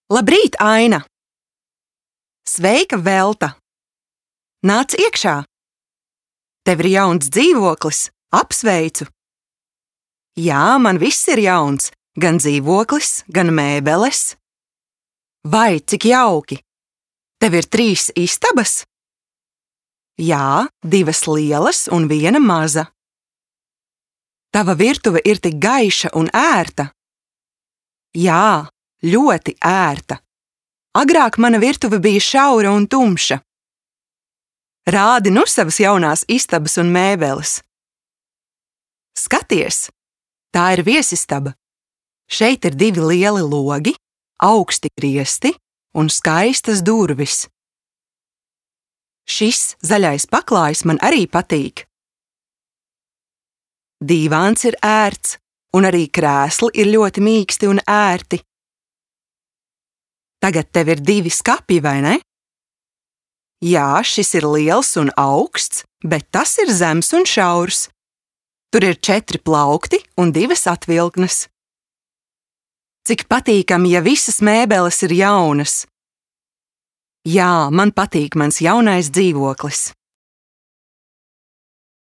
Labrīt, Aina! Sveika, Velta! Nāc iekšā! Tev ir jauns dzīvoklis, apsveicu! Jā, man viss ir jauns, gan dzīvoklis, gan mēbeles. Vai, cik jauki! Tev ir 3 istabas? Jā, 2 lielas un 1 maza. Tava virtuve ir tik gaiša un ērta. Jā, ļoti ērta. Agrāk mana virtuve bija šaura un tumša. Rādi nu savas jaunās istabas un mēbeles. Skaties, tā ir viesistaba. Šeit ir 2 lieli logi, augsti griesti un skaistas durvis. Šis zaļais paklājs man arī patīk. Dīvāns ir ērts, un arī krēsli ir ļoti mīksti un ērti. Tagad tev ir 2 skapji, vai ne? Jā, šis ir liels un augsts, bet tas ir zems un šaurs. Tur ir 4 plaukti un 2 atvilknes. Cik patīkami, ja visas mēbeles ir jaunas. Jā, man patīk mans jaunais dzīvoklis.